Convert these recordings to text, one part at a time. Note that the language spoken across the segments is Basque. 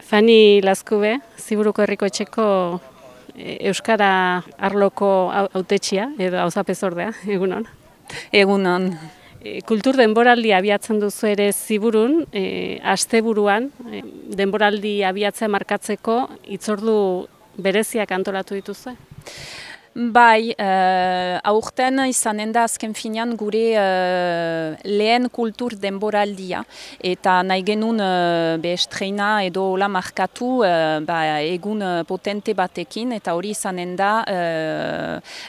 Fani Lazkube, Ziburuko Herriko Etxeko Euskara arloko hautetxia edo auzapezordea, egunon. Egunon. Kultur denboraldi abiatzen duzu ere Ziburun, asteburuan denboraldi abiatzea markatzeko hitzordu bereziak antolatu dituzue? Bai, aurten izanen da azken finean gure lehen kultur denboraldia. Eta nahi genuen estreina edo hola markatu egun potente batekin, eta hori izanen da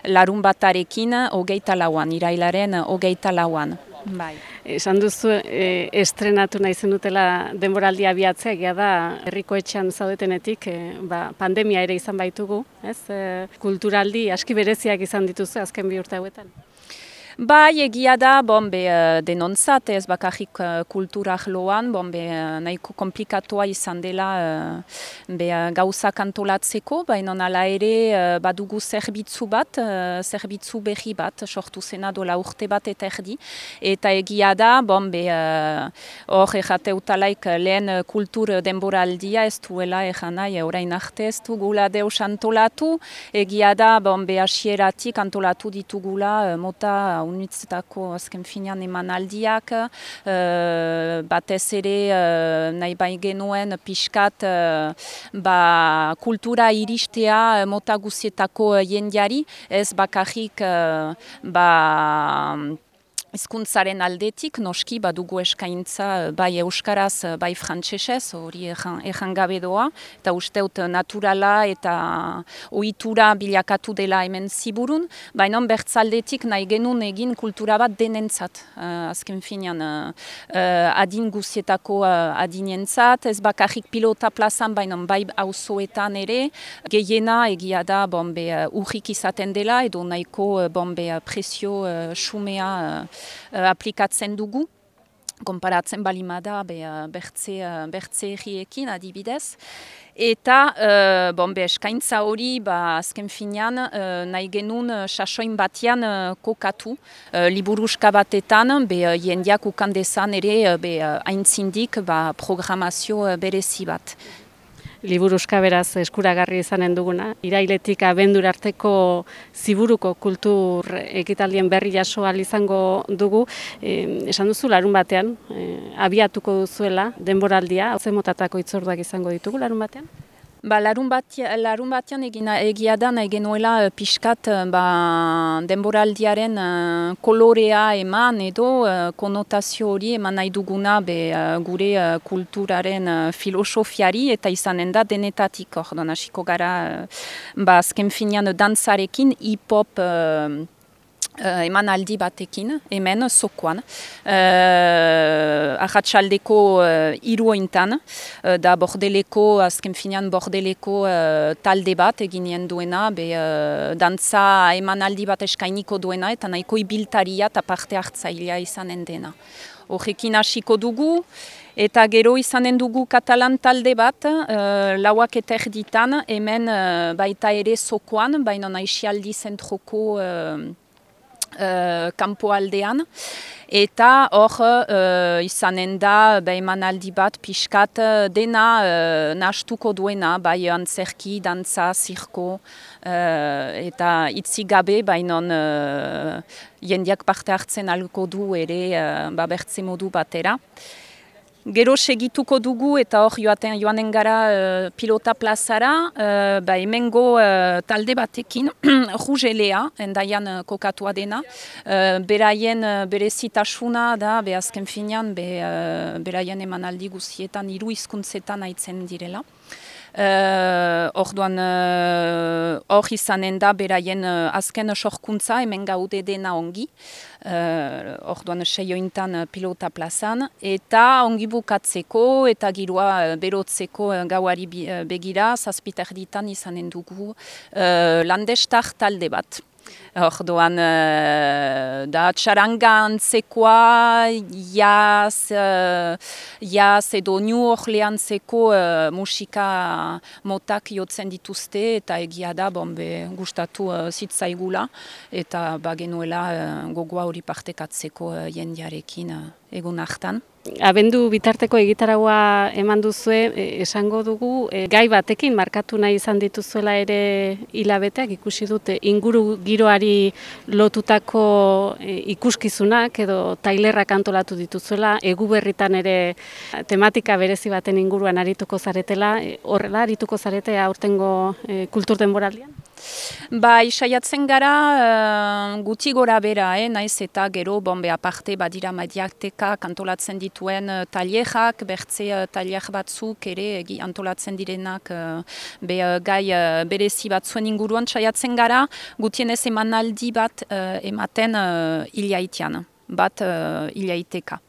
larun batarekin 24an, irailaren 24an. Bai. Esan duzu estrenatu nahi zenutela denboraldia abiatzea, egia da herriko etxean zaudetenetik pandemia ere izan baitugu, ez? Kulturaldi aski bereziak izan dituzu azken 2 urte hauetan. Bai, egia da, denontzat, ez bakarrik kulturak loan, nahiko komplikatua izan dela gauzak antolatzeko, baina hala ere badugu zerbitzu zerbitzu berri bat, sortu zena dola urte bat eta erdi, eta egia da, hor errateutalaik lehen kultur denboraldia ez duela nahi, orain arte ez dugula deus antolatu, egia da, hasieratik antolatu ditugula mota unitzetako azken finean emanaldiak, batez ere nahi bai genuen pixkat kultura iristea mota guzietako jendeari, ez bakarrik hizkuntzaren aldetik, noski badugu eskaintza bai euskaraz, bai frantsesez, hori ejan gabe doa, eta usteut naturala eta ohitura bilakatu dela hemen Ziburun, baina bertzaldetik nahi genuen egin kultura bat denentzat, azken finean adin guzietako adinentzat, ez bakarrik pilota plazan, baina bai auzoetan ere, gehiena egia da urrik izaten dela, edo nahiko prezio xumea aplikatzen dugu, konparatzen balimada bertze herriekin adibidez. Eta eskaintza hori azken finean nahi genuen sasoin batean kokatu, liburuska batetan, jendeak ukan dezan ere aintzindik programazio berezi bat. Liburuska beraz eskuragarri izanen duguna. Irailetik abendura arteko Ziburuko kultur ekitaldien berri jaso ahal izango dugu. Esan duzu larun batean, abiatuko duzuela denboraldia, ze motatako hitzorduak izango ditugu larun batean? Larun batean egia da nahi genuela pixkat denboraldiaren kolorea eman edo konotazio hori eman nahi duguna gure kulturaren filosofiari eta izanen da denetatik ordon hasiko gara azken finean dantzarekin hip-hop emanaldi batekin, hemen Zokoan. Arratsaldeko 3:00 da Bordeleko, azken finean Bordeleko talde bat eginen duena, dantza emanaldi bat eskainiko duena, eta nahiko ibiltaria eta parte hartzailea izanen dena. Horrekin hasiko dugu, eta gero izanen dugu katalan talde bat, 4:00 hemen baita ere Zokoan, baina Aixialdi zentroko kanpoaldean, eta hor izanen da emanaldi bat pixkat dena nahastuko duena, bai antzerki, dantza, zirko, eta itzi gabe, baina jendeak parte hartzen ahalko du ere bertze modu batera. Gero segituko dugu eta hor joanen gara pilota plazara, hemengo talde batekin, Rugelea, endaian kokatua dena, beraien berezitasuna da, azken finean, beraien emanaldi guzietan 3 hizkuntzetan aitzen direla. Orduan hor izanen da beraien azken sorkuntza hemen gaude dena ongi, orduan 6:00 pilota plazan, eta ongi bukatzeko eta giroa berotzeko gauari begira 7:30 izanen dugu landestar talde bat. Orduan da txaranga antzekoa, jaz edo New Orleantseko musika motak jotzen dituzte, eta egia da gustatu zitzaigula, eta genuela gogoa hori partekatzeko jendearekin egun hartan. Abendu bitarteko egitaragua eman duzue, esango dugu, gai batekin markatu nahi izan dituzuela ere hilabeteak, ikusi dute inguru giroari lotutako ikuskizunak edo tailerrak antolatu dituzuela, Eguberritan ere tematika berezi baten inguruan arituko zaretela, horrela arituko zarete aurtengo kultur denboraldian? Bai, saiatzen gara guti gora bera, naiz eta gero bombe aparte badira mediateka antolatzen dituen tailerak, bertze tailer batzuk ere antolatzen direnak gai berezi batzuen inguruan saiatzen gara, gutienez emanaldi bat ematen hilaitean. Bat hilaiteka.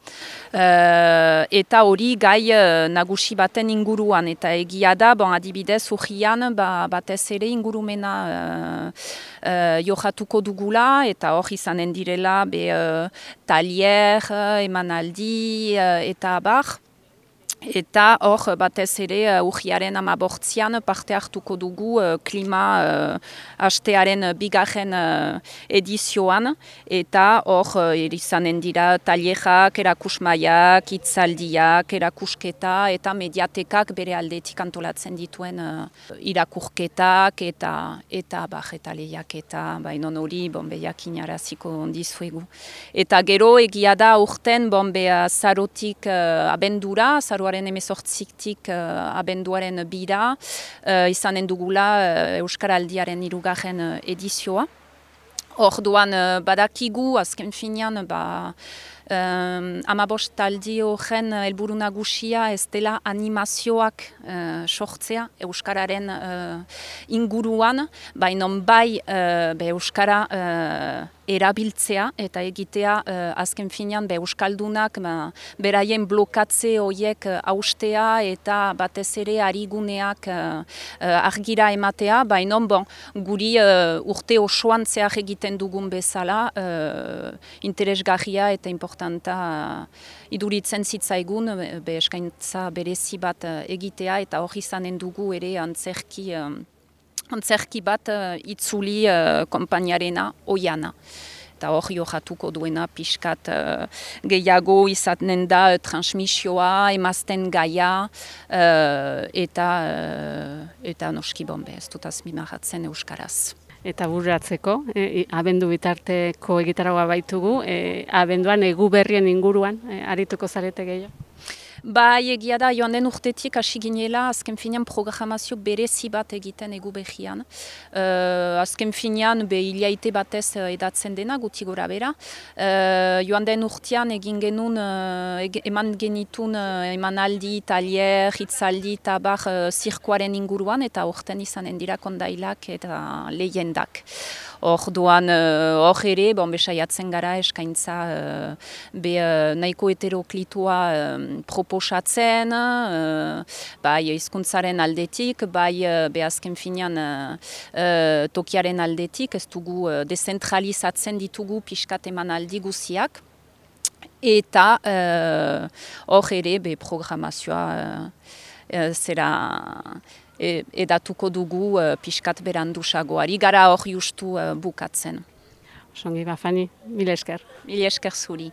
Eta hori gai nagusi baten inguruan, eta egia da, adibidez, urrian batez ere ingurumena johatuko dugula, eta hor izanen direla talier, emanaldi, eta abar. Eta hor batez ere urriaren 15an parte hartuko dugu klima hastearen bigarren edizioan, eta hor izanen dira tailerak, erakusmaiak, hitzaldiak, erakusketa eta mediatekak bere aldetik antolatzen dituen irakurketak eta lehiak eta bainon hori jakin-araziko dizuegu. Eta gero egia da urten azarotik abendura, azaroaren 18tik abenduaren bira, izanen dugula Euskaraldiaren 3. edizioa. Orduan badakigu, azken finean, 15 taldi horren helburu nagusia ez dela animazioak sortzea Euskararen inguruan, baina bai Euskara erabiltzea eta egitea azken finean Euskaldunak beraien blokatze horiek haustea eta batez ere ariguneak argira ematea, baina guri urte osoan zehar egiten dugun bezala interesgarria eta importanta iduritzen zitzaigun eskaintza berezi bat egitea eta hori izanen dugu ere antzerki bat itzuli konpainiarena oiana. Eta hor johatuko duena pixkat gehiago izaten da transmisioa, emazten gaia eta noski bombe ez dut azpimarratzen euskaraz. Eta bururatzeko, abendu bitarteko egitaragoa baitugu, abenduan Eguberrien inguruan arituko zarete gehiago? Bai, egia da, joan den urtetik hasi ginela, azken finean programazio berezi bat egiten Eguberrian. Azken finean, hilaite batez edatzen dena, guti gora bera. Joan den urtean egin genuen, eman genitun emanaldi, talier, hitzaldi eta bar zirkoaren inguruan, eta urten izanen dira kondailak eta lehendak. Orduan hor ere, saiatzen gara eskaintza nahiko heteroklitua proposatzen, bai hizkuntzaren aldetik, bai azken finean tokiaren aldetik, ez dugu dezentralizatzen ditugu pixkat emanaldi guziak, eta hor ere programazioa zera edatuko dugu pixkat berandusagoari, gara hor justu bukatzen. Osongi, Fani, mila esker. Mila esker zuri.